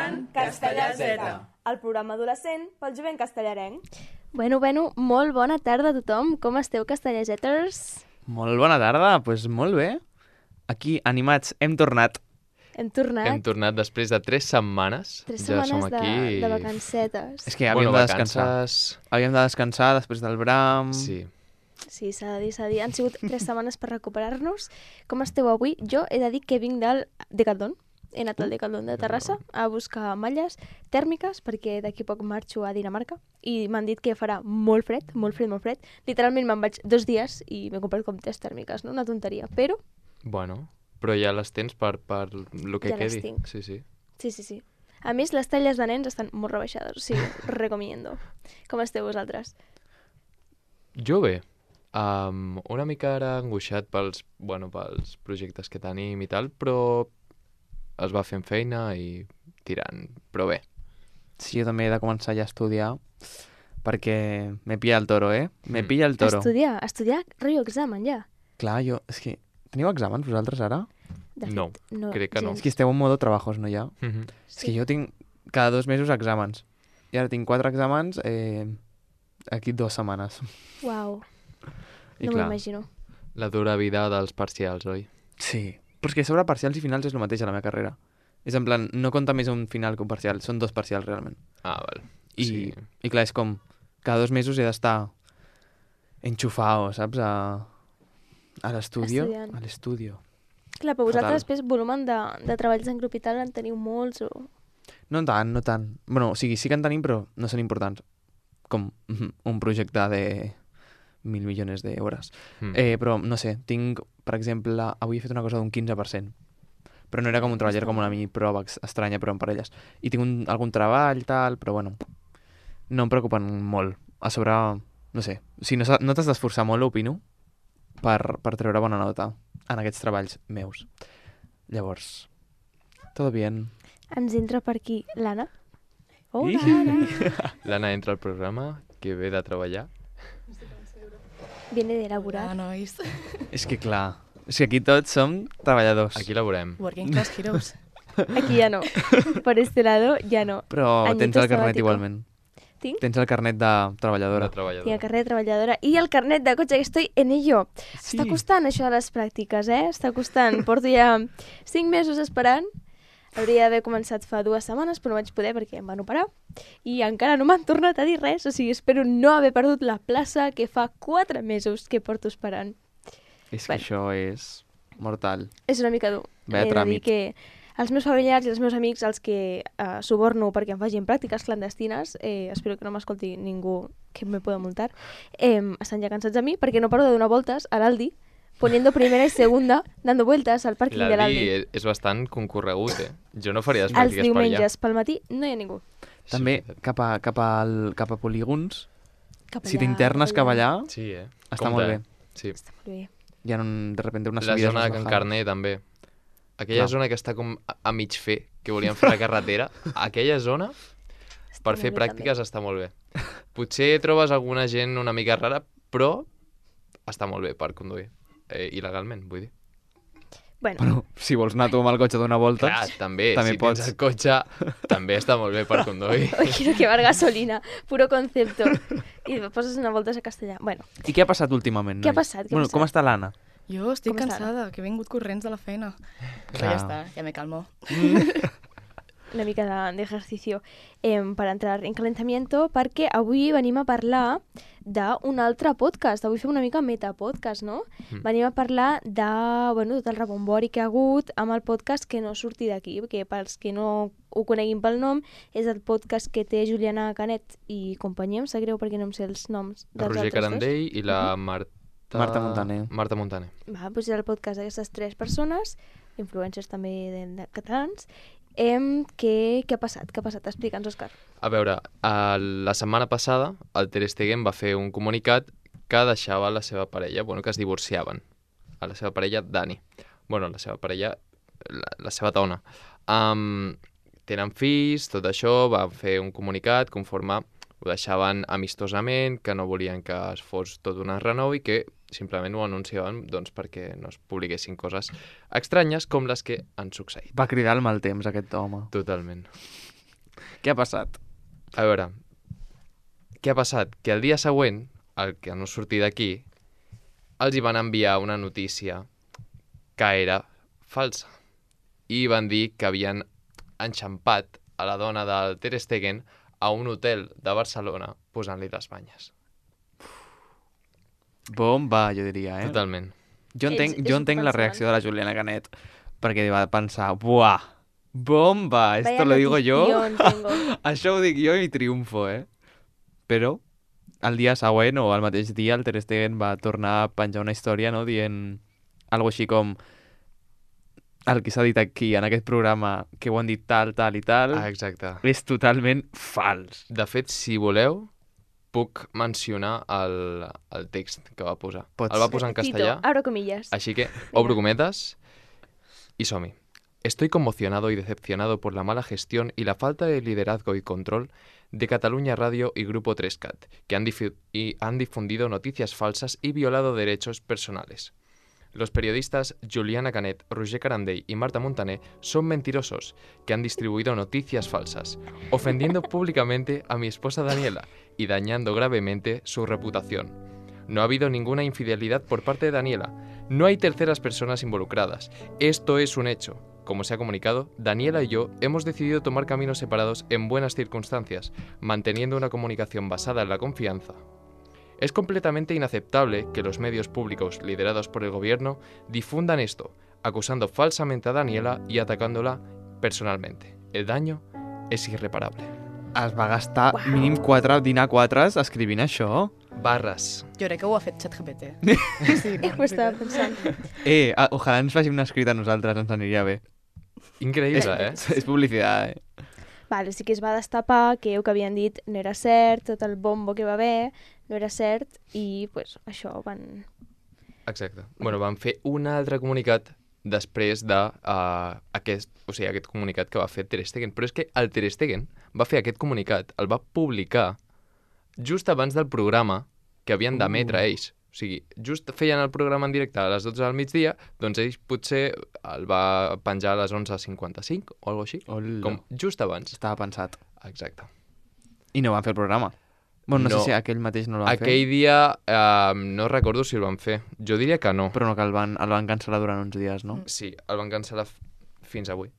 escoltant Castellà Z, el programa adolescent pel jovent castellarenc. Bueno, molt bona tarda a tothom. Com esteu, castellaseters? Molt bona tarda, doncs molt bé. Aquí, animats, hem tornat. Hem tornat. Hem tornat després de 3 setmanes. 3 Ja som setmanes aquí. de vacancetes. És que havíem de descansar. vacances... Havíem de descansar després del Bram. Sí. Sí, s'ha de dir. Han sigut 3 setmanes per recuperar-nos. Com esteu avui? Jo he de dir que vinc del Decathlon. He anat al Decathlon de Terrassa a buscar malles tèrmiques perquè d'aquí a poc marxo a Dinamarca i m'han dit que farà molt fred. Literalment me'n vaig 2 dies i m'he comprat com 3 tèrmiques, no? Una tonteria, però... Bueno, però ja les tens per lo que Ja les quedi. tinc. Sí. Sí. A més, les talles de nens estan molt rebaixades, o sigui, recomiendo. Com esteu vosaltres? Jo bé. Una mica ara angoixat pels projectes que tenim i tal, però es va fent feina i tirant, però bé. Sí, jo també he de començar ja a estudiar perquè me pilla el toro, Me pilla el toro. Estudiar, rotllo examen, ja. Clar, jo... És que... Teniu exàmens vosaltres ara? De No, fet, crec que no. És que esteu en modo trabajos, no ja? Mhm. És que jo tinc cada 2 mesos exàmens. I ara tinc 4 exàmens aquí 2 setmanes. Uau, I no clar, m'imagino. La dura vida dels parcials, oi? sí. Però és que sobre parcials i finals és el mateix a la meva carrera. És en plan, no compta més un final que un parcial, són 2 parcials realment. Ah, val. I clar, és com, cada 2 mesos he d'estar enxufado, saps? A l'estudio. Estudiant. A l'estudio. Clar, però vosaltres Fatal. després volumen de treballs en grup i tal en teniu molts o... No tant. Bueno, o sigui, sí que en tenim, però no són importants. Com un projecte de 1.000 milions d'euros. Però, no sé, tinc, per exemple, avui he fet una cosa d'un 15%. Però no era com un treball, era com una mini prova estranya, però en parelles. I tinc algun treball, tal, però bueno, no em preocupen molt. A sobre, no sé, si no t'has d'esforçar molt, opino, per treure bona nota en aquests treballs meus. Llavors, todo bien. Ens entra per aquí l'Anna. Hola, Ih. Anna. L'Anna entra al programa, que ve de treballar. Viene de elaborar. nois. És que clar, és que aquí tots som treballadors. Aquí la veurem. Working Class Heroes. Aquí ja no. Por este lado ja no. Però Añito tens el carnet sabático. igualment. Tinc? Tens el carnet de treballadora. De treballador. Tinc el carnet de treballadora i el carnet de cotxe, que estoy en ello. Sí. Està costant això de les pràctiques, Està costant. Porto ja 5 mesos esperant. Hauria d'haver començat fa 2 setmanes, però no vaig poder perquè em van operar. I encara no m'han tornat a dir res, o sigui, espero no haver perdut la plaça que fa 4 mesos que porto esperant. És que això és mortal. És una mica dur. Vaya He de dir tràmit. que els meus familiars i els meus amics, els que suborno perquè em facin pràctiques clandestines, espero que no m'escolti ningú que me pueda multar, estan ja cansats de mi perquè no paro de donar voltes a l'Aldi, poniendo primera y segunda, dando vueltas al pàrquing de l'Aldi. L'Aldi és bastant concorregut, Jo no faria les Els pràctiques per allà. diumenges pel matí no hi ha ningú. També Sí, cap a polígons, Cap si allà, t'internes cap allà, Sí, està Compte, molt bé. Sí. Està molt bé. Hi ha de repente unes La subides zona de unes Can bajadas. Carner, també. Aquella Clar. zona que està com a mig fer, que volien fer la carretera. Aquella zona, per Està fer molt bé, pràctiques, està molt bé. Potser trobes alguna gent una mica rara, però està molt bé per conduir. Il·legalment, vull dir. Bueno, Bueno, si vols anar tu amb el cotxe a donar voltes... Clar, també també si pots. tens el cotxe, també està molt bé per conduir. hoy quiero quemar gasolina, puro concepto. I poses una volta a castellà. Bueno, I què ha passat últimament, Què ha nois? passat? Què ha Bueno, com passat? està l'Anna? Jo estic Com està? cansada, que he vingut corrents de la feina. Però Clar. ja està, ja me calmo. una mica de ejercicio per entrar en calentamiento, perquè avui venim a parlar d'un altre podcast. Avui fem una mica metapodcast, no? Venim a parlar de tot el rebombori que ha hagut amb el podcast que no surti d'aquí, perquè pels que no ho coneguin pel nom, és el podcast que té Juliana Canet i companyia, em sap greu perquè no em sé els noms El dels Roger altres Carandell i la Marta Montaner. Marta Montaner. dos. Doncs és el podcast d'aquestes 3 persones, influencers també de catalans. Què ha passat? Què ha passat? Explica'ns, Òscar. A veure, la setmana passada el Ter Stegen va fer un comunicat que deixava la seva parella, que es divorciaven. A la seva parella, Dani. La seva parella, la seva dona. Tenen fills, tot això, van fer un comunicat conforme ho deixaven amistosament, que no volien que es fos tot un renou i que simplement ho anunciaven perquè no es publiquessin coses estranyes com les que han succeït. Va cridar el mal temps, aquest home. Totalment. Què ha passat? A veure, què ha passat? Que el dia següent, el que no sortir d'aquí, els hi van enviar una notícia que era falsa. I van dir que havien enxampat a la dona del Ter Stegen a un hotel de Barcelona posant-li les banyes. Bomba, jo diria, eh? Totalment. Jo entenc, És jo entenc la pensant. reacció de la Juliana Canet, perquè va pensar, buah, bomba, esto Vaya lo digo yo. notición tengo. Això ho dic jo i triomfo, eh? Però el dia següent o el mateix dia el Ter Stegen va tornar a penjar una història, no?, dient algo així com el que s'ha dit aquí en aquest programa, que ho han dit tal, tal i tal, Exacte. és totalment fals. De fet, si voleu, puc mencionar el text que va posar. Pots. El va posar en castellà, Cito, abro comillas. així que obro cometas y som-hi. Estoy conmocionado y decepcionado por la mala gestión y la falta de liderazgo y control de Cataluña Radio y Grupo 3CAT, que han difundido noticias falsas y violado derechos personales. Los periodistas Juliana Canet, Roger Carandell y Marta Montaner son mentirosos que han distribuido noticias falsas, ofendiendo públicamente a mi esposa Daniela y dañando gravemente su reputación. No ha habido ninguna infidelidad por parte de Daniela. No hay terceras personas involucradas. Esto es un hecho. Como se ha comunicado, Daniela y yo hemos decidido tomar caminos separados en buenas circunstancias, manteniendo una comunicación basada en la confianza. Es completamente inaceptable que los medios públicos liderados por el gobierno difundan esto, acusando falsamente a Daniela y atacándola personalmente. El daño es irreparable. Es va gastar Uau. mínim 4 dinar 4 escrivint això. Barres. Jo crec que ho ha fet ChatGPT. Sí, Ho estava pensant. Ojalà ens facin una escrita a nosaltres, ens aniria bé. Increïble, eh? És publicitat, eh? Vale, sí que es va destapar que el que havien dit no era cert, tot el bombo que va haver no era cert i pues, això van... Exacte. Bueno, van fer un altre comunicat després de aquest comunicat que va fer Ter Stegen. Però és que el Ter Stegen va fer aquest comunicat, el va publicar just abans del programa que havien d'emetre ells. O sigui, just feien el programa en directe a les 12 del migdia, doncs ells potser el va penjar a les 11:55 o alguna així, Hola. com just abans. Estava pensat. Exacte. I no van fer el programa. Bueno, no, No. sé si aquell mateix no el van Aquell dia no recordo si el van fer. Jo diria que no. fer, però no, que el van cancel·lar durant uns dies, no? Sí, el van cancel·lar fins avui,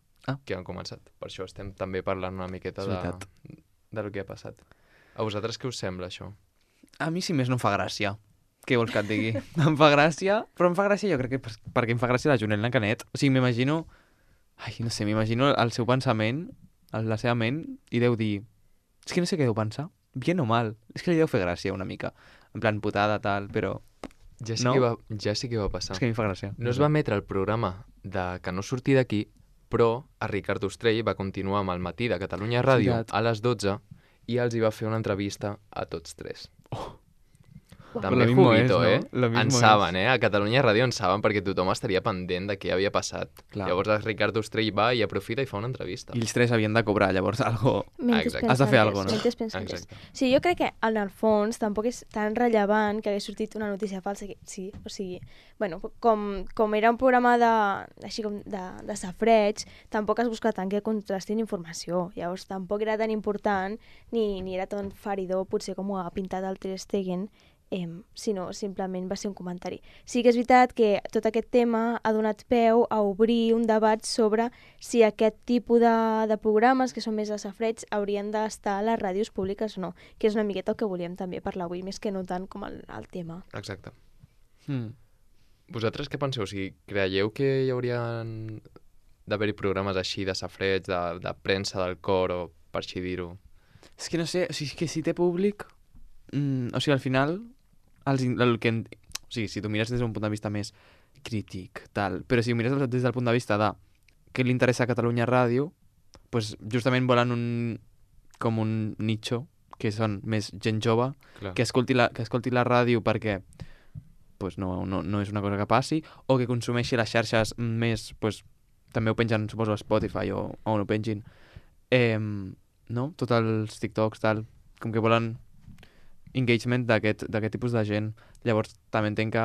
que han començat. Per això estem també parlant una miqueta És veritat. de lo que ha passat. A vosaltres què us sembla, això? A mi, si més, no em fa gràcia. Què vols que et digui? Em fa gràcia, però em fa gràcia jo crec que perquè em fa gràcia la Juliana Canet. O sigui, m'imagino... Ai, no sé, m'imagino el seu pensament, la seva ment, i deu dir... És que no sé què deu pensar. Bien o mal. És que li deu fer gràcia una mica. En plan, putada, tal, però... Ja sí, No? ja sí que va passar. És que a mi em fa gràcia. No es va emetre el programa de que no sortir d'aquí, però a Ricard Ostrell va continuar amb el matí de Catalunya Ràdio Veritat. a les 12 i els hi va fer una entrevista a tots tres. També Lo mismo juguito, es, ¿no? Lo eh? mismo En es. saben, eh? A Catalunya Ràdio en saben perquè tothom estaria pendent de què havia passat. Clar. Llavors el Ricard Ostrell va i aprofita i fa una entrevista. I els tres havien de cobrar, llavors, algo... Mentes Exacte. Has de fer pensantes, alguna cosa, no? mentes pensantes. Exacte. Sí, jo crec que en el fons tampoc és tan rellevant que hagués sortit una notícia falsa. Que, sí, o sigui, bueno, com era un programa així com de safreig, tampoc es busca tant que contrastin informació. Llavors tampoc era tan important ni era tan feridor, potser com ho ha pintat el Ter Stegen, sinó simplement va ser un comentari. Sí que és veritat que tot aquest tema ha donat peu a obrir un debat sobre si aquest tipus de programes, que són més de safreig, haurien d'estar a les ràdios públiques o no, que és una miqueta el que volíem també parlar avui, més que no tant com el tema. Exacte. Mm. Vosaltres què penseu? O sigui, creieu que hi haurien d'haver-hi programes així de safreig, de premsa del cor, o per així dir-ho? És que no sé, o sigui, que si té públic... o sigui, al final... O sigui, si tu mires des d'un punt de vista més crític, tal, però si ho mires des del punt de vista de què li interessa a Catalunya Ràdio, pues justament volen com un nicho, que són més gent jove, Clar. que escolti la ràdio perquè pues no és una cosa que passi, o que consumeixi les xarxes més, pues, també ho pengen, suposo, a Spotify o on ho pengin. No? Tots els TikToks, tal, com que volen engagement d'aquest tipus de gent. Llavors també entenc que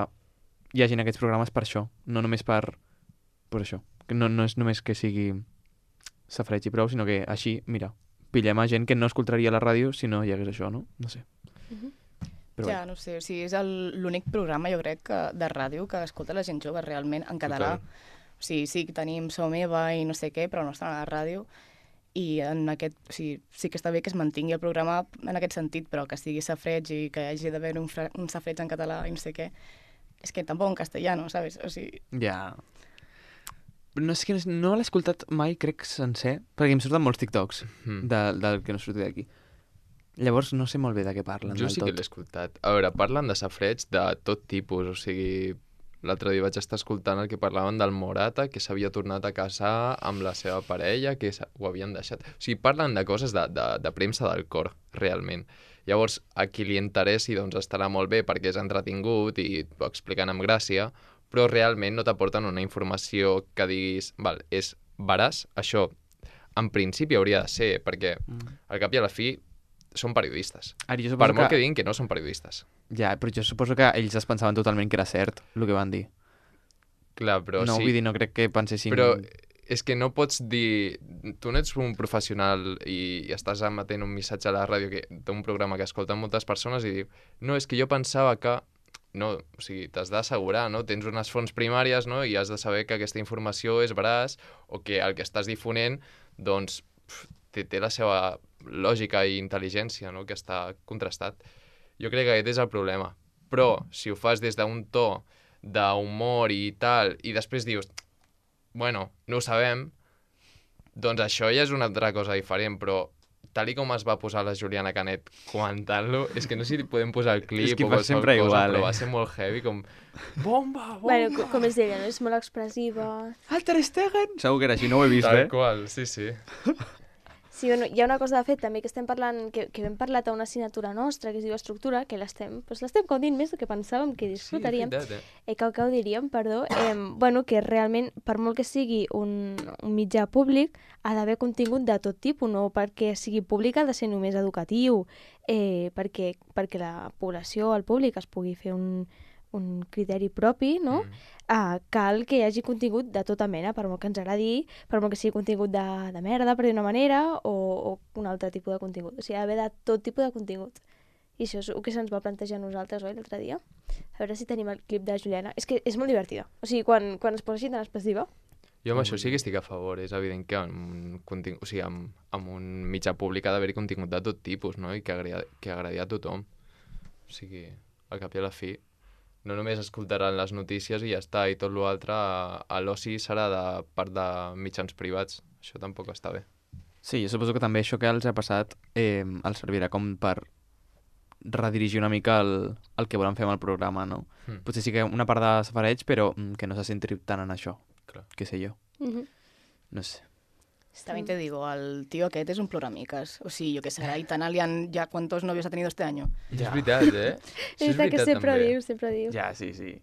hi hagin aquests programes per això, no només per això. Que no és només que sigui safreig i prou, sinó que així, mira, pillem a gent que no escoltaria la ràdio si no hi hagués això, no? No sé. Però Ja, no sé, o sigui, és l'únic programa, jo crec, de ràdio que escolta la gent jove realment en català. Total. O sigui, sí que tenim So Meva i no sé què, però no estan a la ràdio. I en aquest, o sigui, sí que està bé que es mantingui el programa en aquest sentit, però que sigui safareig i que hagi d'haver un safareig en català i no sé què. És que tampoc en castellano, ¿sabes? O sigui... ja... No sé que no l'he escoltat mai, crec, sencer, perquè em surten molts TikToks del que no surti d'aquí. Llavors no sé molt bé de què parlen Jo del sí que tot. l'he escoltat. A veure, parlen de safareig de tot tipus, o sigui... L'altre dia vaig estar escoltant el que parlaven del Morata, que s'havia tornat a casar amb la seva parella, que ho havien deixat. O sigui, parlen de coses de premsa del cor, realment. Llavors, a qui li interessi, doncs estarà molt bé perquè és entretingut i ho expliquen amb gràcia, però realment no t'aporten una informació que diguis, val, és veraç, això en principi hauria de ser, perquè al cap i a la fi són periodistes. Ara, jo Per suposo molt que diguin que no són periodistes. Ja, però jo suposo que ells es pensaven totalment que era cert, el que van dir. Clar, però no, sí. vull dir, no crec que pensessin... Però és que no pots dir... Tu no ets un professional i estàs emetent un missatge a la ràdio d'un programa que escolten moltes persones i diu no, és que jo pensava que... No, o sigui, t'has d'assegurar, no? Tens unes fonts primàries, no? I has de saber que aquesta informació és veraç o que el que estàs difonent, doncs, té la seva lògica i intel·ligència, no? Que està contrastat. Jo crec que aquest és el problema. Però, si ho fas des d'un to d'humor i tal, i després dius, bueno, no ho sabem, doncs això ja és una altra cosa diferent, però tal i com es va posar la Juliana Canet comentant-lo, és que no sé si podem posar el clip És que o fa qualsevol sempre cosa, igual, però va ser molt heavy, com bomba, bomba! Bueno, com és d'ella, no? És molt expressiva. El Ter Stegen! Segur que era així, no ho he vist, Tal qual, sí, sí. Sí, bueno, hi ha una cosa de fet també que estem parlant, que hem parlat a una assignatura nostra que es diu Estructura, que l'estem gaudint més del que pensàvem que disfrutaríem. Sí, és veritat, Que ho diríem, perdó. Bueno, que realment, per molt que sigui un mitjà públic, ha d'haver contingut de tot tipus, no perquè sigui públic ha de ser només educatiu, perquè la població, el públic, es pugui fer un criteri propi, no? Cal que hi hagi contingut de tota mena, per molt que ens agradi, per molt que sigui contingut de merda, per dir una manera, o un altre tipus de contingut. O sigui, ha d'haver de tot tipus de contingut. I això és el que se'ns va plantejar a nosaltres, oi, l'altre dia? A veure si tenim el clip de Juliana. És que és molt divertida. O sigui, quan es posa així tan expressiva... Jo amb això sí que estic a favor. És evident que amb un mitjà públic ha d'haver-hi contingut de tot tipus, no? I que agradi a tothom. O sigui, al cap i a la fi, no només escoltaran les notícies i ja està, i tot l'altre a l'oci serà de part de mitjans privats. Això tampoc està bé. Sí, jo suposo que també això que els ha passat els servirà com per redirigir una mica el que volen fer amb el programa, no? Potser sí que una part de safareig, però que no se centri tant en això. Clar. Què sé jo. No sé. También te digo, al tío aquest és un ploramiques. O sigui, jo què sé, a Italian ya cuántos novios ha tenido este año. Ja. És veritat, eh? És veritat que sempre ho diu. Ja, sí, sí.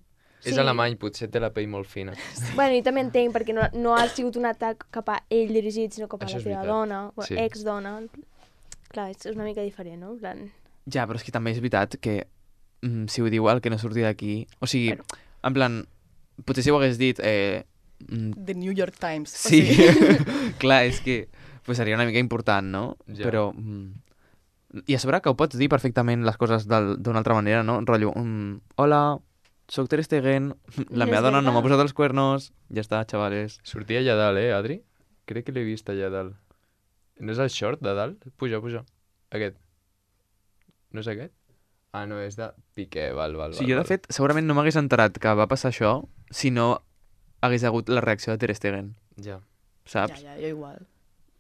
És alemany, potser té la pell molt fina. Bueno, i també entenc, perquè no ha sigut un atac cap a ell dirigit, sinó cap a Això la és seva veritat. dona, o Sí. ex-dona. Clar, és una mica diferent, no? En plan... Ja, però és que també és veritat que si ho diu el que no surti d'aquí... O sigui, en plan, potser si ho hagués dit... The New York Times. Sí, clar, és que pues seria una mica important, no? Ja. Però... I a sobre que ho pots dir perfectament les coses d'una altra manera, no? Rotllo, hola, soc Ter Stegen, la És meva dona no m'ha veritat. posat els cuernos, ja està, xavales. Sortia allà dalt, Adri? Crec que l'he vist allà dalt. No és el short de dalt? Puja. Aquest. No és aquest? Ah, no, és de Piqué, val. Sí, jo de fet segurament no m'hagués enterat que va passar això si no hagués hagut la reacció de Ter Stegen, Ja. saps? Ja, jo igual.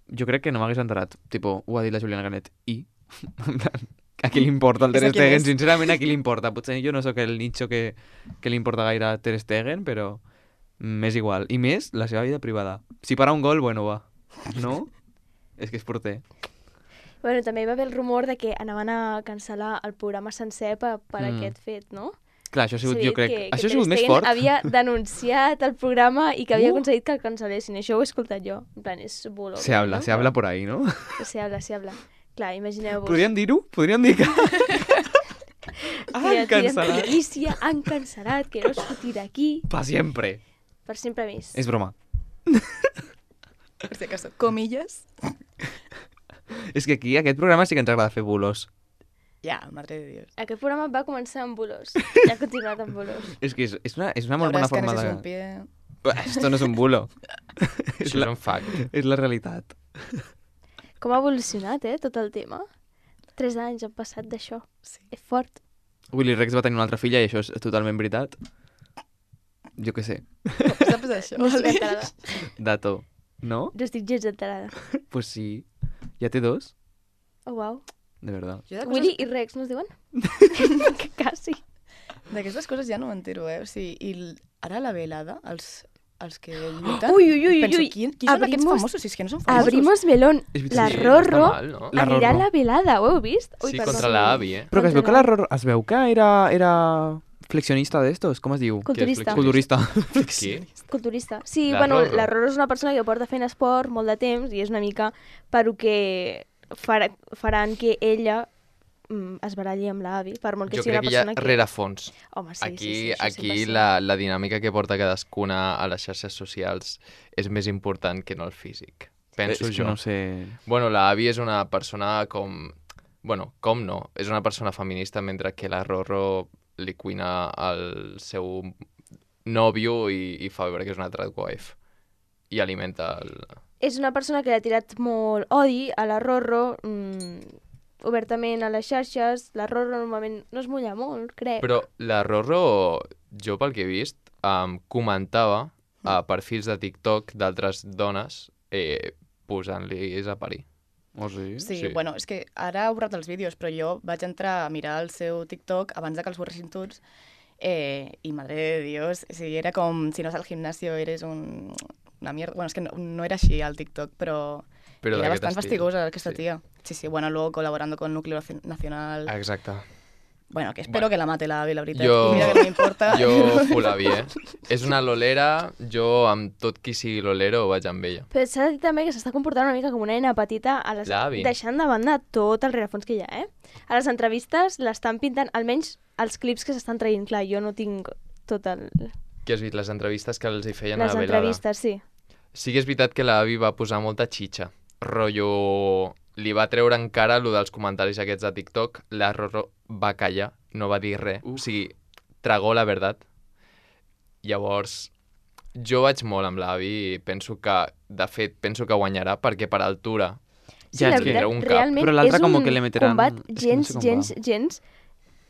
Jo crec que no m'hagués enterat. Tipo, ho ha dit la Juliana Canet. I? A qui li importa el És Ter a qui Stegen? és. Sincerament, a qui li importa? Potser jo no sóc el nicho que li importa gaire a Ter Stegen, però m'és igual. I més, la seva vida privada. Si para un gol, bueno, va. No? És que és porter. Bueno, també hi va haver el rumor de que anaven a cancel·lar el programa sencer per aquest fet, no? Clar, això ha sigut, S'ha jo dit crec... que Això ha Ter sigut més Stegen fort. havia denunciat el programa i que havia aconseguit que el cancel·lessin. Això ho he escoltat jo. En plan, és bolo. Se habla por ahí, ¿no? Se habla. Clar, imagineu-vos. Podríem dir-ho? Podríem dir que... Han cancel·lat. notícia, han cancel·lat, que no es foti d'aquí. Pa siempre. Per sempre més. És broma. Per si acaso, comillas. És que aquí, aquest programa sí que ens agrada fer bulos. Ja, madre de Dios. Aquest programa va començar amb bulos i ha continuat amb bulos. És que és una molt La bona verdad es que forma ese de... es un pie... Esto no és un bulo. Això és un fact. És la realitat. Com ha evolucionat, tot el tema. 3 anys han passat d'això. Sí. És fort. Willy Rex va tenir una altra filla i això és totalment veritat. Jo què sé. Saps això? No estic enterada. Dato. No? No estic gens enterada. Pues sí. Ja té 2? Oh, uau. De verdad. Jo Willy i Rex, no es diuen? Que quasi. d'aquestes coses ja no m'entero, O sigui, ara la velada, els que lluiten... Ui, ui, ui, penso, ui. qui són aquests Abrimos- famosos? Si és que no són famosos. Abrimos melón. És veritat, La sí, no Rorro està mal, no? La anirà a Rorro. la velada, ho heu vist? Sí, perdó. contra la Avi, Però que es veu que Contra la Rorro... Es veu que era flexionista d'estos, com es diu? Culturista. Culturista. Qui? Culturista. Sí, La bueno, Rorro. la Rorro és una persona que porta fent esport molt de temps i és una mica per lo que faran que ella es baralli amb l'avi, per molt que Jo sigui crec una que hi ha persona rerefons. Home, sí, Aquí, sí, això aquí 100%. la dinàmica que porta cadascuna a les xarxes socials és més important que no el físic. Penso És que jo. no sé... Bueno, la Avi és una persona com... Bueno, com no? És una persona feminista, mentre que la Rorro li cuina al seu nòvio i fa veure que és una tradwife. I alimenta el... És una persona que ha tirat molt odi a la Rorro, obertament a les xarxes. La Rorro normalment no es mulla molt, crec. Però la Rorro, jo pel que he vist, comentava a perfils de TikTok d'altres dones posant-li a parir. Oh, sí? Sí, Sí. bueno, és que ara ha borrat els vídeos, però jo vaig entrar a mirar el seu TikTok abans de que els borressin tots i, madre de Dios, o sigui, era com si no vas al gimnasio eres una mierda. Bueno, és que no era així al TikTok, però era d'aquest bastant estil. fastigosa aquesta Sí. tía. Sí, sí, bueno, luego colaborando con Núcleo Nacional. Exacte. Bueno, que espero Bueno. que la mate la Avi, la veritat. Jo- I mira que no m'importa. Jo full Avi, És una lolera, jo amb tot qui sigui lolero vaig amb ella. Però s'ha de dir també que s'està comportant una mica com una nena petita, L'avi. deixant de banda tot el rerefons que hi ha, A les entrevistes l'estan pintant, almenys els clips que s'estan traient. Clar, jo no tinc tot el... Què has vist? Les entrevistes que els hi feien Les a la velada. entrevistes, sí. Sí que és veritat que l'Avi va posar molta xitxa. Rotllo... Li va treure en cara allò dels comentaris aquests de TikTok. La Rorro va callar, no va dir res. O sigui, tragó la veritat. Llavors, jo vaig molt amb l'Avi i penso que, de fet, penso que guanyarà perquè per altura Sí, Ja, la és que veritat, un cap. realment Però l'altre és com un que le meteran- combat és que no gens, sé com gens, va. gens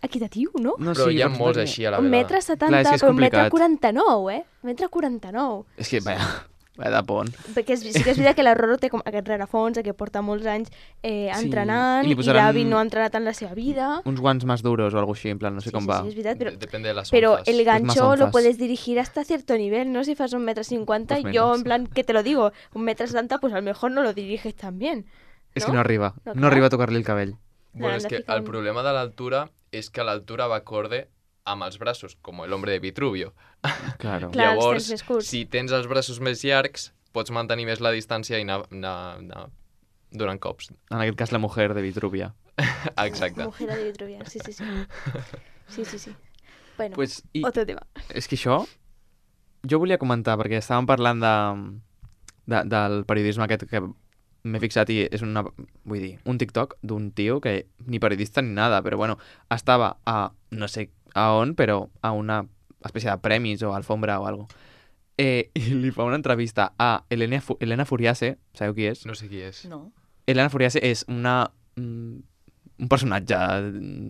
equitatiu, no? No, però hi ha perquè molts perquè- així a la Un velada. metre 70, Clar, és que és però un metre complicat. 49, Metre 49. És que, vaya de pont. Perquè sí que és veritat que la Rorro té com aquest rerefons, que porta molts anys entrenant, i li i posaran- l'avi no ha entrenat en la seva vida. Uns guants més duros o alguna així, en plan, no sé com va. Sí, és veritat, però, Depende de las pero onzas. el gancho onzas. lo puedes dirigir hasta cierto nivel, ¿no? Si fas 1,50 m, Pues yo menos. en plan, que te lo digo, 1,70 m, pues a lo mejor no lo diriges tan bien. És que no arriba. No, No clar. arriba a tocar-li el cabell. Bueno, L'han és de que ficar el un- problema de l'altura és que l'altura va acorde amb els braços, com el hombre de Vitruvio. Claro. Clar, els Llavors, tens més curts. si tens els braços més llargs, pots mantenir més la distància i anar donant cops. En aquest cas, la mujer de Vitruvia. Exacte. Mujer de Vitruvia, sí, sí, sí. Sí, sí, sí. Bueno, Pues, i otro tema. és que això... Jo volia comentar, perquè estàvem parlant del periodisme aquest que m'he fixat i és vull dir, un TikTok d'un tio que ni periodista ni nada, però bueno, estava a no sé a on, però a una espècie de premis o alfombra o algo. I li fa una entrevista a Elena Furiase, sabeu qui és? No sé qui és. No. Elena Furiase és un personatge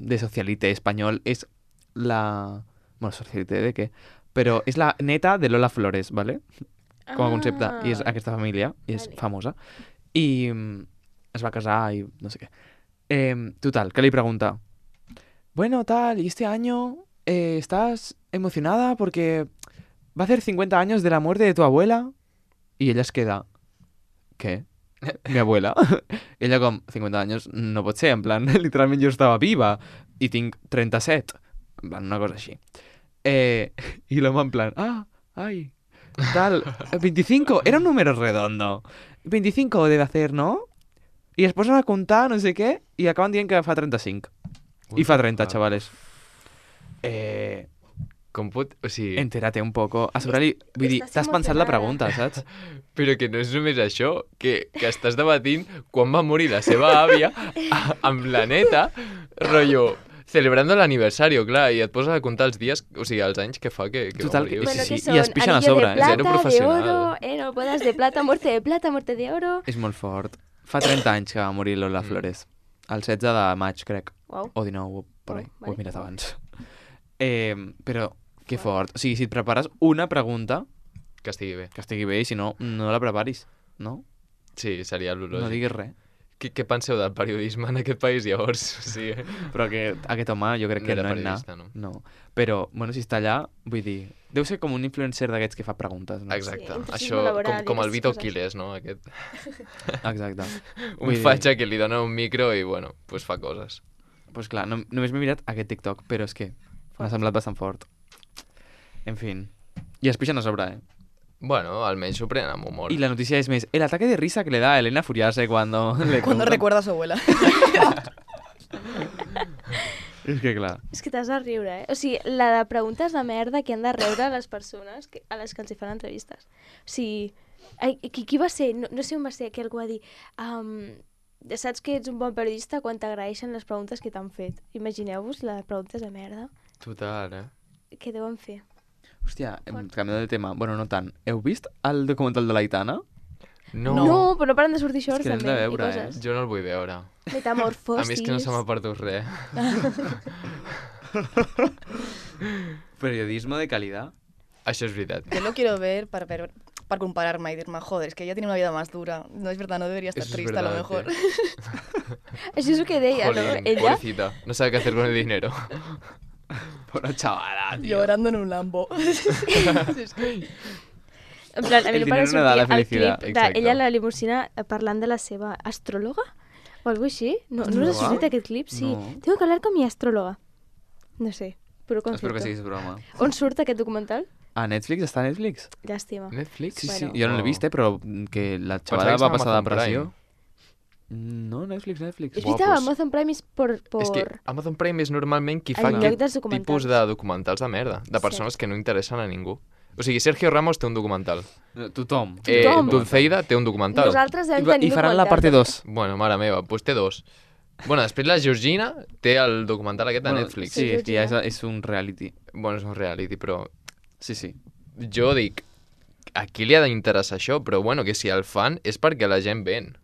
de socialite espanyol. És la... Bueno, socialite de què? Però és la neta de Lola Flores, ¿vale? Com a concepte. I és aquesta família, i és Vale. famosa. I es va casar i no sé què. Total, que li pregunta, bueno, tal, y este año ¿estás emocionada porque va a hacer 50 años de la muerte de tu abuela? Y ella es queda, ¿qué? Mi abuela? I ella com, 50 anys no pot ser, en plan, literalment jo estava viva i tinc 37, en plan, una cosa així. I l'home en plan, ay, tal, 25, era un número redondo, 25 debe hacer, ¿no? I es posen a comptar, no sé què, i acaben dient que fa 35. I fa 30, xavales. Com pot... O sigui... Entérate un poco. A sobre li... Vull dir, Estàs t'has pensat la emocionada. pregunta, saps? Però que no és només això, que estàs debatint quan va morir la seva àvia amb la neta, rotllo, celebrando l'aniversari, clar, i et poses a comptar els dies, o sigui, els anys que fa que Total, va morir. que- O Bueno, sigui, sí, que i són es pixen a anillo sobre, de eh? plata, Zero de professional. oro, no bodas de plata, muerte de oro. És molt fort. Fa 30 anys que va morir Lola Flores. El 16 de maig, crec. Uau. O 19, per Oh, ahí. Ho vale. he mirat abans. Però, que fort. O sigui, si et prepares una pregunta, que estigui bé. que estigui bé, i si no, no la preparis, no? Sí, seria l'ològic. No diguis res. Què penseu del periodisme en aquest país, llavors? O sigui, Però que aquest home jo crec No que era no és periodista, anar. no? No. Però, bueno, si està allà, vull dir... Deu ser com un influencer d'aquests que fa preguntes, no? exacte. Sí, intrusisme Això, laboral i com el aquestes Vito coses. Quiles, no? Aquest. Exacte. Un fatxa que li dona un micro i, bueno, pues fa coses. Pues clar, només m'he mirat aquest TikTok, però és que m'ha semblat bastant fort. En fin. I es pixen a sobre, eh? Bueno, almenys s'ho prenen amb humor. Y la noticia es el ataque de risa que le da a Elena Furiase cuando le Cuando contan. recuerda a su abuela. És que clar. És que t'has de riure, eh? O sigui, la de preguntes de merda que han de rebre les persones a les que els hi fan entrevistes. O sigui, qui va ser? No sé on va ser, que algú va dir... saps que ets un bon periodista quan t'agraeixen les preguntes que t'han fet. Imagineu-vos les preguntes de merda Total, eh? que deuen fer. Hòstia, canviant de tema. Bueno, no tant. Heu vist el documental de l'Aitana? No, però no paren de sortir shorts És que l'hem també. de veure, i coses. Jo no el vull veure. Metamorfosis. A mi és que no se m'ha perdut res. Periodismo de calidad. Això és veritat. Yo lo quiero ver para compararme y decirme, joder, es que ella tiene una vida más dura. No es verdad, no debería estar Eso es triste a lo verdad, mejor. Això és el que deia, no? Jolín, Ella... pobrecita. No sabe qué hacer con el dinero. Bona xavala, tio. Llorando en un Lambo. En plan, a mi El no para dinero no da la sortir el felicidad. clip Exacte. d'ella a la limusina parlant de la seva astròloga o alguna així. No us ha sortit aquest clip? Sí. No. Tengo que hablar con mi astróloga. No sé, puro concepto. Espero que siguis broma. On surt aquest documental? A Netflix? Està a Netflix? Llàstima. Netflix? Sí, sí. Bueno. Jo no l'he vist, però que la xavala Pensava que va estava a passar Amazon d'impressió. No, Netflix. És Buah, veritat, pues- Amazon Prime és por... És que Amazon Prime és normalment qui En fa lloc aquest dels documentals. tipus de documentals de merda, de persones que no interessen a ningú. O sigui, Sergio Ramos té un documental. Tothom. Tothom. Dulceida té un documental. Nosaltres devem tenir I faran la parte 2. Bueno, mare meva, doncs té dos. Bueno, després la Georgina té el documental aquest de Netflix. Sí, és que ja Georgina. és un reality. Bueno, és un reality, però Sí, sí. jo dic, a qui li ha d'interessar això? Però bueno, que si el fan és perquè la gent ven.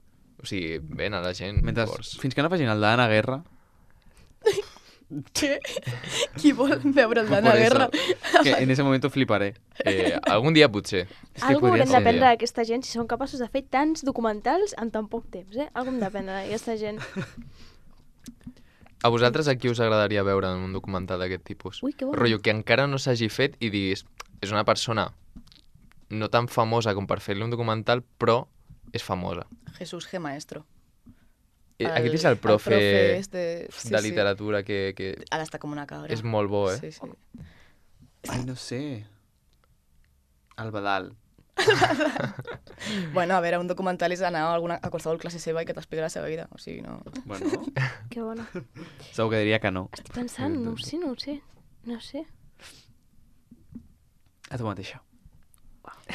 O sigui, ven a la gent. Mentre, llavors. fins que no facin el d'Anna Guerra... ¿Qué? Qui vol veure el Por d'Anna eso, Guerra? que en ese momento fliparé. Algun dia potser. És que Algú podria haurem ser. d'aprendre d'aquesta gent si són capaços de fer tants documentals en tan poc temps, eh? Algú hem d'aprendre d'aquesta gent. A vosaltres a qui us agradaria veure en un documental d'aquest tipus? Ui, que bo. Rotllo, que encara no s'hagi fet i diguis, és una persona no tan famosa com per fer-li un documental, però és famosa. Jesús G. Maestro. Aquest és el profe, este... sí, de sí. literatura que Ara està com una cabra. és molt bo, eh? Sí, sí. Ai, no sé. El Badal. Bueno, a veure, un documental és anar a qualsevol classe seva i que t'expliqui la seva vida. O sigui, no... Bueno, Que bona. segur que diria que no. Estic pensant, no ho sé, no ho sé. No ho sé. A tu mateixa.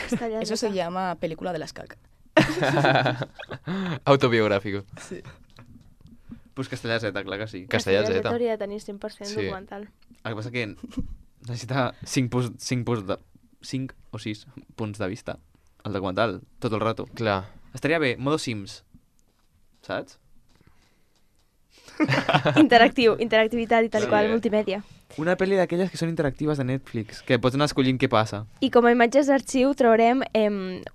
Està allà Eso se llama película de las caca. Autobiográfico. Sí. Pues Castellà Z, clar que sí. Castellà Z. hauria de tenir 100% Sí. documental. El que passa que necessita 5 o 6 punts de vista. El documental, tot el rato. Clar. Estaria bé, modo Sims. Saps? Interactivitat i tal Sí. qual, multimèdia. Una pel·li d'aquelles que són interactives de Netflix, que pots anar escollint què passa. I com a imatges d'arxiu traurem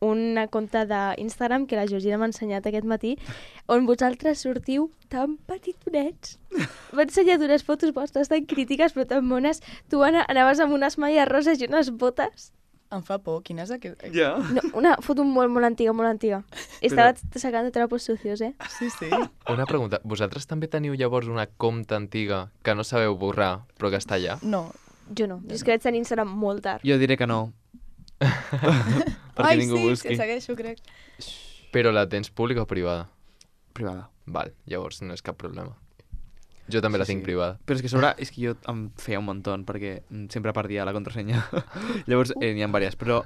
una compte d'Instagram que la Georgina m'ha ensenyat aquest matí, on vosaltres sortiu tan petitonets. M'ha ensenyat unes fotos vostres tan crítiques però tan mones. Tu, Anna, anaves amb unes malles roses i unes botes. Em fa por. Quina és aquest? Ja. No, una foto molt antiga, molt antiga. Estava sacant trapos sucios, eh? Sí, sí. Una pregunta. Vosaltres també teniu llavors una compta antiga que no sabeu borrar, però que està allà? No. Jo no. Jo és que vaig tenir Instagram molt tard. Jo diré que no. Perquè Ai, ningú sí, busqui. que segueixo, crec. Però la tens pública o privada? Privada. Val, llavors no és cap problema. Jo també la tinc privada. Però és que a sobre és que jo em feia un muntó perquè sempre perdia la contrasenya. Llavors n'hi ha diverses, però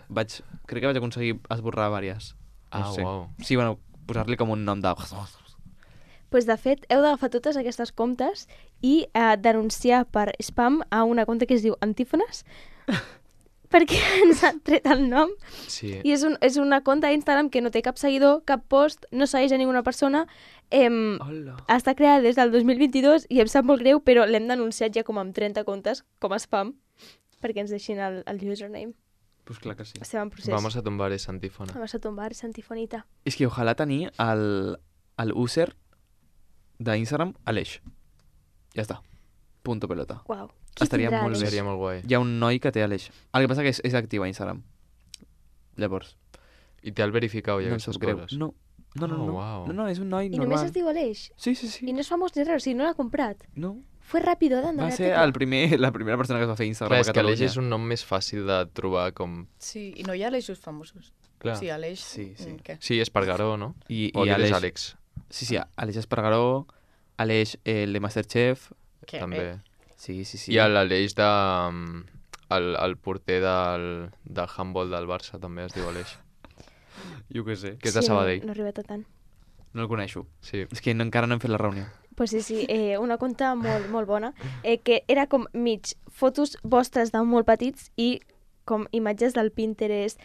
crec que vaig aconseguir esborrar diverses. Uau. Sí, bueno, posar-li com un nom de... Pues de fet, heu d'agafar totes aquestes comptes i denunciar per spam a una compte que es diu Antífones perquè ens han tret el nom. Sí. I és una compte d'Instagram que no té cap seguidor, cap post, no segueix a ninguna persona. Hola. Està creada des del 2022 i em sap molt greu, però l'hem denunciat ja com amb 30 comptes, com a spam, perquè ens deixin el username. Pues clar que sí. Estem en procés. Vamos a tumbar esa antífona. Vamos a tombar esa antifonita. És que ojalà tenir el user d'Instagram a l'eix. Ja està. Punto pelota. Uau. Estaria molt bé. Seria molt guai. Hi ha un noi que té a l'eix. El que passa que és actiu a Instagram. Llavors. I té el verificau i No em aquestes sap greu. coses. No, uau. no, és un noi I normal. només es diu Aleix. Sí. I no és famós ni res, o sigui, no l'ha comprat. No. Fue rápido dando Va la ser tecla. la primera persona que es va fer Instagram Clar, a és que Catalunya. Aleix és un nom més fàcil de trobar com... Sí, i no hi ha Aleixos famosos. Clar. Sí, Aleix... Sí. Què? Sí, Espargaró, no? I O aquest és Aleix. Àlex. Sí, Aleix Espargaró, Aleix, el de Masterchef. Què? També. Sí. I l'Aleix de... El porter del handball del Barça també es diu Aleix. Jo què sé. Que és de Sabadell. No ha arribat a tant. No el coneixo. Sí. És que encara no hem fet la reunió. Pues sí, una conta molt bona, que era com mig fotos vostres de molt petits i com imatges del Pinterest.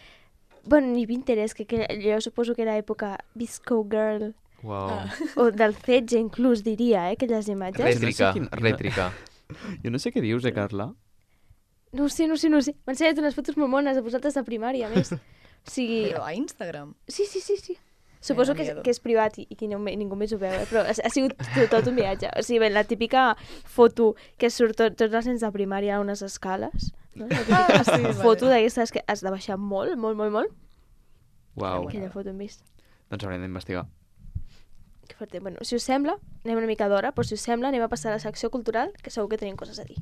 Bueno, ni Pinterest, que jo suposo que era època Visco Girl, Uau. o del Fetge inclús, diria, aquelles imatges. Rètrica, No sé rètrica. Jo no sé què dius, Carla? No ho sé. M'ha ensenyat unes fotos molt mones de vosaltres de primària, a més. O sigui... Però a Instagram? Sí. Suposo Me da que miedo. és privat i que ningú més ho veu, però ha sigut tot un viatge. O sigui, la típica foto que surt tots els nens de primària a unes escales. No? La típica sí, foto vale. d'aquestes que has de baixar molt. Uau. Aquella foto hem vist. Doncs haurem d'investigar. Que fort. Bueno, si us sembla, anem una mica d'hora, però si us sembla anem a passar a la secció cultural, que segur que tenim coses a dir.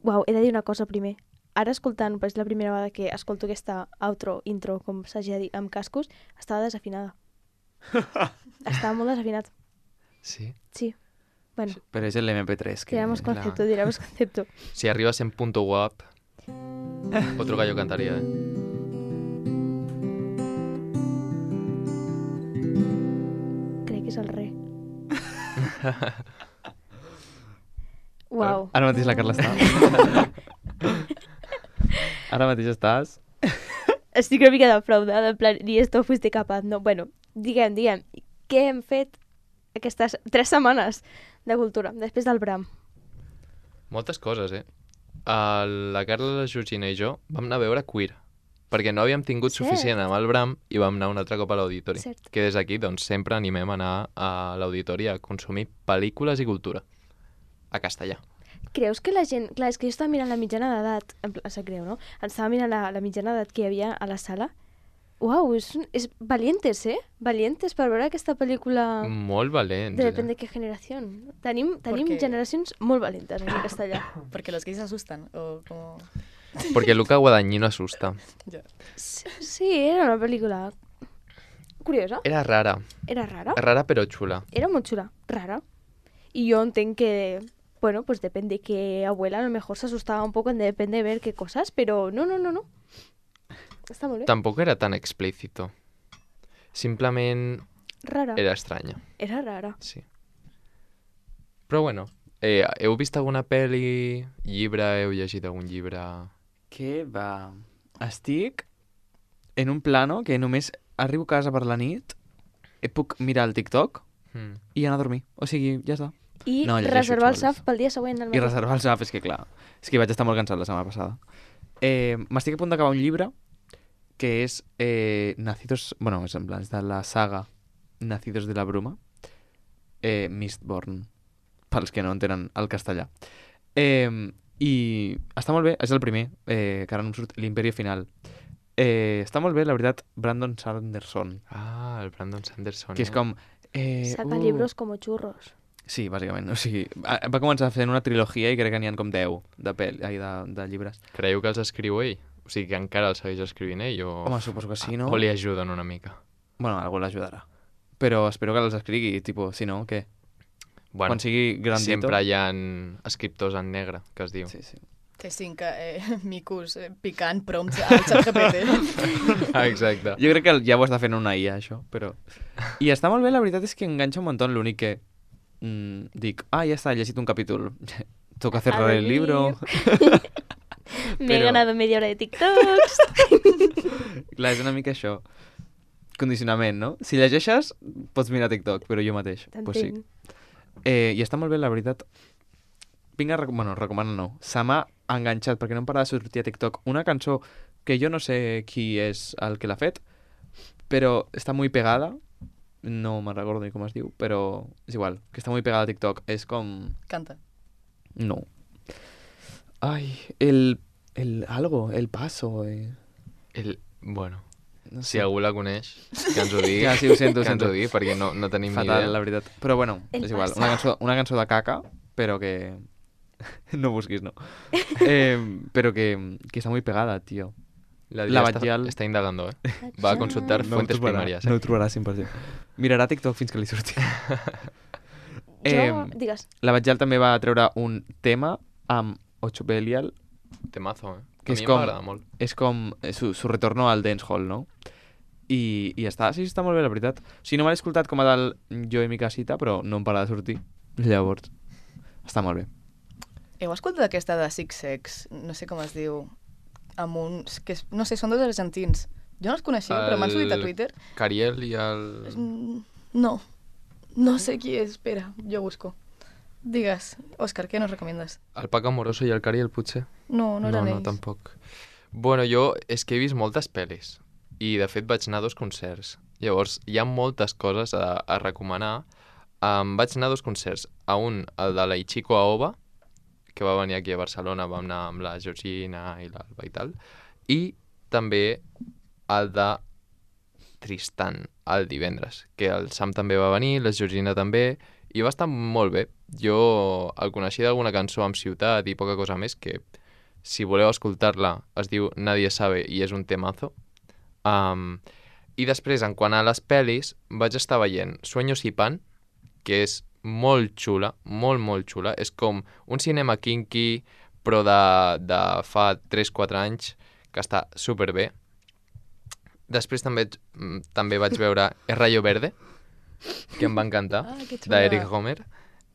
Uau, he de dir una cosa primer. Ara escoltant, però és la primera vegada que escolto aquesta intro, com s'hagi de dir, amb cascos, estava desafinada. Estava molt desafinat. Sí. Sí. Bueno, Però és l'MP3. diremos concepto. Si arribas en punto guap, otro gallo cantaría, ¿eh? Crec que és el re. Uau. Ara mateix la Carla està. Ara mateix estàs... Estic una mica defraudada, en plan, ni esto fuiste capaz, no? Bueno, diguem, què hem fet aquestes 3 setmanes de cultura, després del Bram? Moltes coses, eh? La Carla, la Georgina i jo vam anar a veure Queer, perquè no havíem tingut Cert. suficient amb el Bram i vam anar un altre cop a l'auditori. Cert. Que des d'aquí, doncs, sempre animem a anar a l'auditori a consumir pel·lícules i cultura. A castellà. Creus que la gent... Clar, és que jo estava mirant la mitjana d'edat, en plan, sap greu, no? Estava mirant la mitjana d'edat que hi havia a la sala. Uau, és valientes, eh? Valientes per veure aquesta pel·lícula Molt valents. Depèn de què generació. Tenim Perquè- generacions molt valentes en castellà. Porque los gays se asustan, o como... Porque Luca Guadagnino asusta. Ya. Sí, era una pel·lícula curiosa. Era rara. Era rara. Rara però xula. Era muy chula, rara. Y yo entenc que, bueno, pues depende que abuela a lo mejor se asustaba un poco, depende de ver qué cosas, pero no. Està molt bé. Tampoc era tan explícito. Simplement Rara. era estranya. Era rara. Sí. Però bueno, heu vist alguna pel·li, llibre, heu llegit algun llibre? Què va? Estic en un plano que només arribo a casa per la nit, puc mirar el TikTok i anar a dormir. O sigui, ja està. I No, llegeixo, reservar el xavals. SAF pel dia següent. al I matí. reservar el SAF, és que clar, és que vaig estar molt cansat la setmana passada. M'estic a punt d'acabar un llibre que és Nacidos... Bueno, és en plan, és de la saga Nacidos de la Bruma, Mistborn, pels que no entenen el castellà. I està molt bé, és el primer, que ara no em surt, l'Imperio Final. Està molt bé, la veritat, Brandon Sanderson, Ah, el Brandon Sanderson. que és com... Saca libros como churros. Sí, bàsicament. O sigui, va començar fent una trilogia i crec que n'hi ha com 10 de llibres. Creieu que els escriu ell? O sigui que encara el segueix escrivint ell o... Home, suposo que sí, no? O li ajuden una mica. Bueno, algú l'ajudarà. Però espero que els escrigui, tipo, si no, què? Bueno, Quan sigui grandito... sempre hi ha escriptors en negre, que es diu. Sí, sí. Té 5 micos picant prompts al ChatGPT. Exacte. Jo crec que ja ho està fent una IA, això, però... I està molt bé, la veritat és que enganxa un muntó, l'únic que dic, ja està, he llegit un capítol, toca cerrar el libro... Me he Però- ganado media hora de TikToks. Clar, és una mica això. Condicionament, no? Si llegeixes, pots mirar TikTok, però jo mateix. Pues sí. T'entenc. I està molt bé, la veritat. Vinc a recomanar no. Se m'ha enganxat, perquè no em para de sortir a TikTok, una cançó que jo no sé qui és el que l'ha fet, però està muy pegada. No me'n recordo ni com es diu, però és igual, que està muy pegada a TikTok. És com... Canta. No. Ai, el algo, el paso... Bueno, No si algú la coneix, que ens ho digui. Ja, sí, ho sento, que ens sento. ho digui, perquè no tenim ni Fatal, idea. la veritat. Però bueno, El és igual. paso. Una cançó de caca, però que... no busquis, no. Però que està muy pegada, tío. La La Dia Batllal- està indagando, Va a consultar fuentes primàries. No ho trobarà 100%. Mirarà TikTok fins que li surti. Jo, digues. La Batllal també va treure un tema amb Ocho Belial. Temazo, Que A és mi com- m'agrada molt. És com su retorno al dancehall, no? I està, sí, està molt bé, la veritat. O sigui, no m'he escoltat com a tal Jo i mi casita, però no em para de sortir. Llavors, està molt bé. Heu escoltat aquesta de Six Sex? No sé com es diu. Amb uns... Que no sé, són dos argentins. Jo no els coneixia, però m'han sortit a Twitter. Cariel i el... No. No sé qui és. Espera, jo busco. Digues, Òscar, què nos recomiendes? El Paco Amoroso i el Cariel, potser? No, no eren no, ells. tampoc. Bueno, jo és que he vist moltes pel·lis i, de fet, vaig anar a 2 concerts. Llavors, hi ha moltes coses a recomanar. Vaig anar a 2 concerts. A un, el de la Ichiko Aoba, que va venir aquí a Barcelona, vam anar amb la Georgina i l'Alba i tal. I també el de Tristan, el divendres, que el Sam també va venir, la Georgina també, i va estar molt bé. Jo el coneixia d'alguna cançó amb Ciutat i poca cosa més, que si voleu escoltar-la es diu Nadie sabe i és un temazo. I després, en quant a les pel·lis, vaig estar veient Sueños y Pan, que és molt xula, molt xula. És com un cinema kinky, però de fa 3-4 anys, que està superbé. Després també vaig veure El Rayo Verde, que em va encantar, que xula. d'Eric Romer.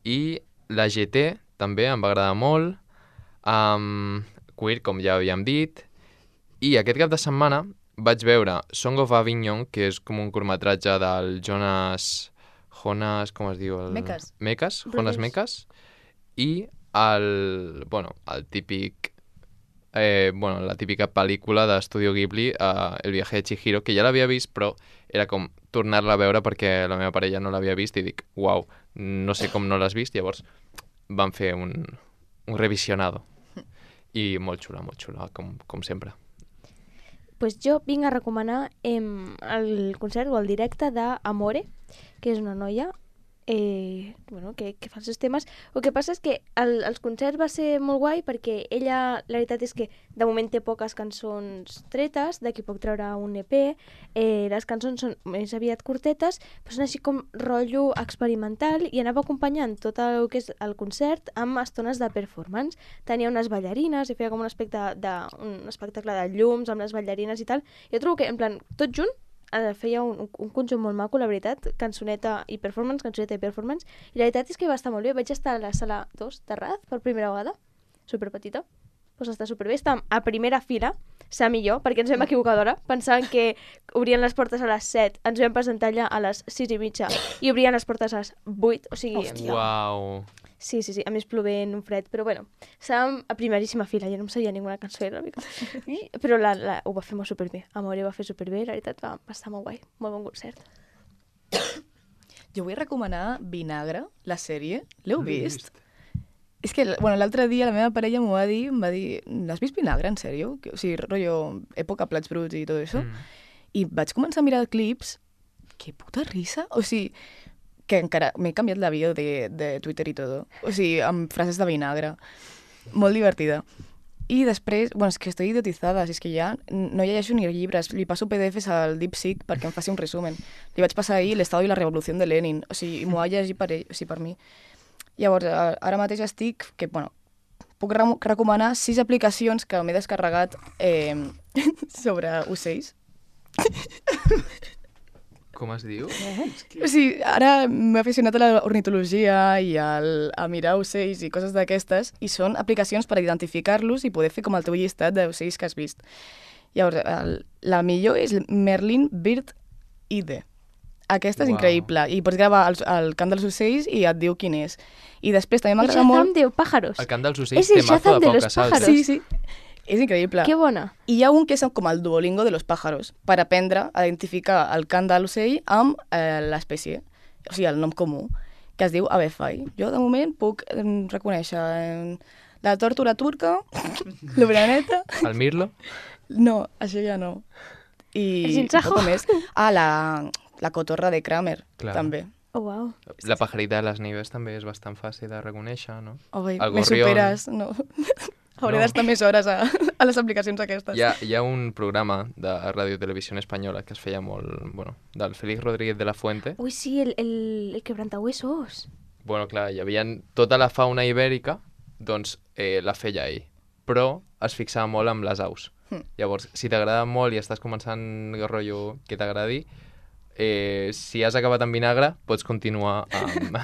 I la GT també em va agradar molt. Queer, com ja havíem dit. I aquest cap de setmana vaig veure Song of Avignon, que és com un curtmetratge del Jonas, com es diu? Mekas. Jonas Brothers. Mekas. I el típic... la típica pel·lícula d'Estudio Ghibli, El viaje de Chihiro, que ja l'havia vist, però era com tornar-la a veure perquè la meva parella no l'havia vist i dic, uau, no sé com no l'has vist, llavors vam fer un revisionado. I molt xula, com sempre. Pues jo vinc a recomanar el concert o el directe d'Amore, que és una noia que fa els seus temes. El que passa és que els concerts va ser molt guai perquè ella, la veritat és que de moment té poques cançons tretes, d'aquí poc traurà un EP, les cançons són més aviat curtetes, però són així com rotllo experimental i anava acompanyant tot el que és el concert amb estones de performance. Tenia unes ballarines i feia com un espectacle de llums amb les ballarines i tal. Jo trobo que, en plan, tot junt, feia un conjunt molt maco, la veritat, cançoneta i performance, i la veritat és que va estar molt bé. Vaig estar a la sala 2 de Raz per primera vegada, superpetita, doncs està superbé. Estàvem a primera fila, Sam i jo, perquè ens vam equivocar d'hora, pensant que obrien les portes a les 7, ens vam presentar allà a les 6:30 i obrien les portes a les 8, o sigui... Uau! Sí, a més plovent, un fred, però bueno, estàvem a primeríssima fila, jo no em sabia ninguna cançó, era una mica... Però ho va fer molt superbé, Amore va fer superbé, la veritat va estar molt guai, molt bon concert. Jo vull recomanar Vinagre, la sèrie. L'heu vist? És que, l'altre dia la meva parella m'ho va dir, em va dir, l'has vist Vinagre, en sèrio? O sigui, rotllo, època plats bruts i tot això. I vaig començar a mirar clips, que puta risa, o sigui, que encara m'he canviat la bio de Twitter i tot. O sigui, amb frases de vinagre. Molt divertida. I després, bueno, és que estoy idiotizada, si és que ja no llegeixo ni llibres, li passo PDFs al DeepSeek perquè em faci un resumen. Li vaig passar ahir l'Estado i la Revolució de Lenin, o sigui, m'ho ha llegit per mi. Llavors, ara mateix estic, que, bueno, puc recomanar 6 aplicacions que m'he descarregat sobre ocells. Com es diu? O sigui, ara m'he aficionat a l'ornitologia i a mirar ocells i coses d'aquestes, i són aplicacions per identificar-los i poder fer com el teu llistat d'ocells que has vist. Llavors, la millor és Merlin Bird ID. Aquesta és increïble, i pots gravar el cant dels ocells i et diu quin és. I després també m'agrada molt... El Shazam de pájaros. El cant dels ocells té mazo de poques saltes. Sí. És increïble. Que bona. I hi ha un que és com el Duolingo de los pájaros, per aprendre a identificar el cant de l'ocell amb l'espècie, o sigui, el nom comú, que es diu avefai. Jo, de moment, puc reconèixer la tórtora turca, l'oreneta... El mirlo? No, això ja no. El sinsajo? Més. La cotorra de Kramer, també. Oh, wow. La pajarita de les nieves també és bastant fàcil de reconèixer, no? Me superes, no. Hauré d'estar més hores a les aplicacions aquestes. Hi ha un programa de Ràdio Televisió Espanyola que es feia molt... Bueno, del Félix Rodríguez de la Fuente. Ui, sí, el quebrantahuesos. Bueno, clar, hi havia tota la fauna ibèrica, doncs la feia ell. Però es fixava molt amb les aus. Llavors, si t'agrada molt i estàs començant el rotllo que t'agradi, si has acabat amb vinagre, pots continuar amb...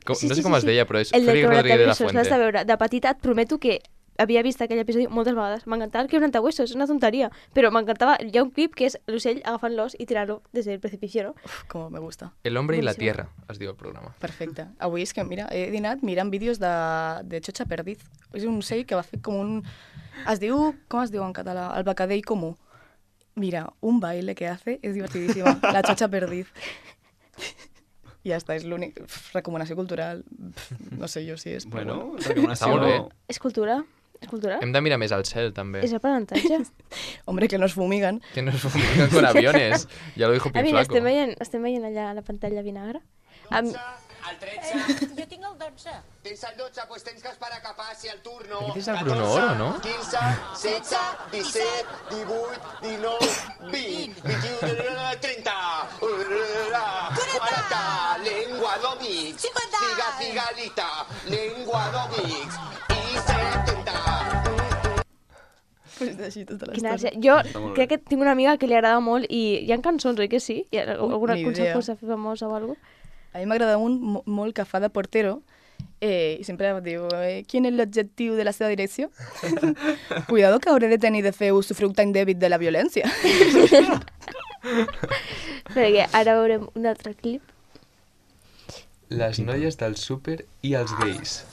No sé com es deia, però és Félix Rodríguez de la Fuente. L'has de veure. De petita et prometo que havia vist aquell episodi moltes vegades. M'encantava el quebrantahuesos, és una tonteria. Però m'encantava... Hi ha un clip que és l'ocell agafant l'os i tirant-lo des del precipicio, ¿no? Uf, com me gusta. El hombre y la tierra, es diu el programa. Perfecte. Avui és que, mira, he dinat mirant vídeos de Xocha Perdiz. És un ocell que va fer com un... Es diu... Com es diu en català? El becadell comú. Mira, un baile que hace és divertidíssima. La Xocha Perdiz. I ja està, és l'únic... Recomanació cultural. No sé jo si és... Bueno, Està molt bé. És cultura. És cultura? Hem de mirar més al cel, també. És aprenentatge. Hombre, que nos fumigan. Que nos fumigan con aviones. Ja lo dijo Mira, Pimflaco. estem veient allà a la pantalla vinagre. El 13. Jo tinc el 12. Tens el 12, doncs tens que esperar que passi el turno. Aquest és el Bruno Oro, no? 15, 16, 17, 18, 19, 20, 21, 30, 40, lengua d'òmix, 50. figalita, lengua d'òmix, i 70. Pues així tota Quina l'estona. ànsia. Jo crec que tinc una amiga que li agrada molt i hi ha cançons, oi que sí? Hi ha alguna ni cançó idea. força famosa o alguna cosa? A mi m'agrada un molt que fa de portero i sempre diu ¿quién es l'objectiu de la seva direcció? Cuidado que hauré de tenir de fer usufructe tan indèbit de la violència. Perquè ara veurem un altre clip. Les noies del súper i els gais.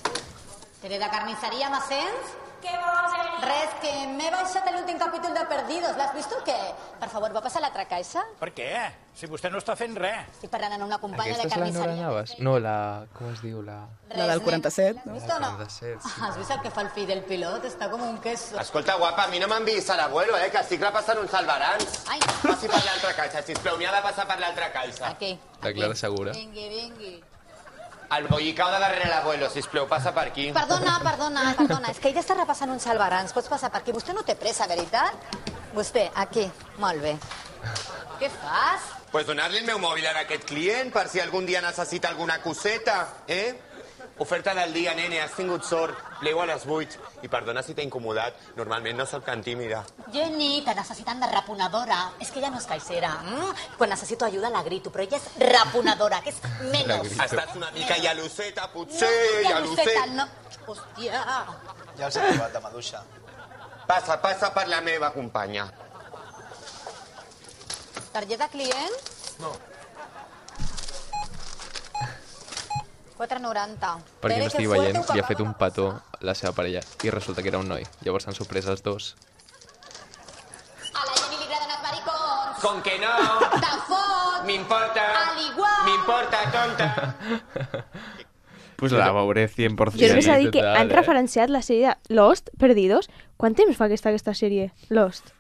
Seré de carnisseria, m'assents? Què vols, Res, que m'he baixat l'últim capítol de Perdidos. L'has vist o què? Per favor, va passar a l'altra caixa? Per què? Si vostè no està fent res. Estic parlant amb una companya Aquesta de és la Nora carnisseria. Navas? No, la... Com es diu? La... La del 47, L'has no? vist o no? 47, sí. Has vist el que fa el fill del pilot? Està com un queso. Escolta, guapa, a mi no m'han vist a l'abuelo, que estic repassant uns albarans. Ai, Passi per l'altra caixa, sisplau, n'hi ha de passar per l'altra caixa. aquí. La Clara Segura. Vingui, vingui. El bollicau de darrere l'abuelo, sisplau, passa per aquí. Perdona, és que ella està repassant uns albarans. Pots passar per aquí. Vostè no té pressa, veritat? Vostè, aquí. Molt bé. Què fas? Pues donar-li el meu mòbil a aquest client per si algun dia necessita alguna coseta, Oferta del dia, nene, has tingut sort. Plego a les 8. I perdona si t'he incomodat. Normalment no soc tan tímida. Jenny, que necessitant de reponedora. És que ella no és caixera. Quan necessito ajuda la grito, però ella és reponedora, que és menys. Estàs una mica llaluseta, potser, Llaluseta, no. Hòstia. Ja els he trobat de maduixa. Passa per la meva companya. Targeta client? No. 4,90. Per qui no estigui veient, li ha fet un petó la seva parella i resulta que era un noi. Llavors s'han sorprès els dos. A la Jenny li agraden els maricons. Com que no? De fot. M'importa. Al igual. M'importa, tonta. Pues la veuré 100%. Jo només he de dir que total, han referenciat la sèrie Lost, Perdidos. Quant temps fa que està aquesta sèrie, Lost?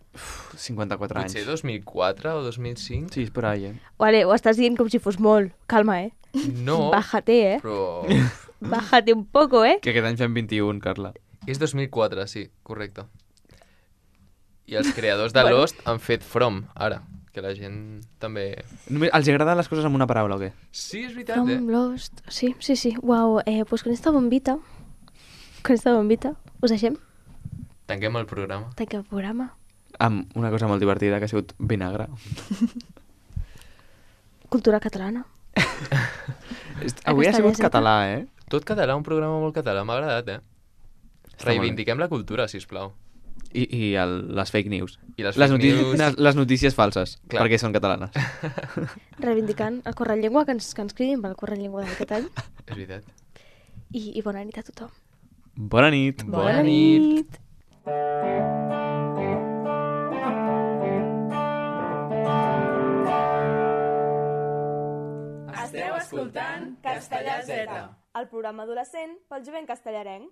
54 anys. Potser 2004 o 2005? Sí, és per ahí, Vale, ho estàs dient com si fos molt. Calma, No, Bájate, però... Bájate un poco, Que aquest any fem 21, Carla. És 2004, sí, correcte. I els creadors de Lost han fet From, ara, que la gent també... Només els agraden les coses amb una paraula o què? Sí, és veritat, From Lost. Sí. Uau, pues con esta bombita, us deixem? Tanquem el programa. Tanquem el programa. Amb una cosa molt divertida que ha sigut vinagre. Cultura catalana. Avui ha sigut Castellà, català, Tot català, un programa molt català, m'ha agradat, Està molt Reivindiquem la cultura, sisplau. I les fake news. I les fake news... Les notícies falses, Clar. perquè són catalanes. Reivindicant el Corrent Llengua, que ens cridin pel Corrent Llengua d'aquest any. És veritat. I bona nit a tothom. Bona nit. Bona nit. Esteu escoltant Castellà Z, el programa adolescent pel jovent castellarenc.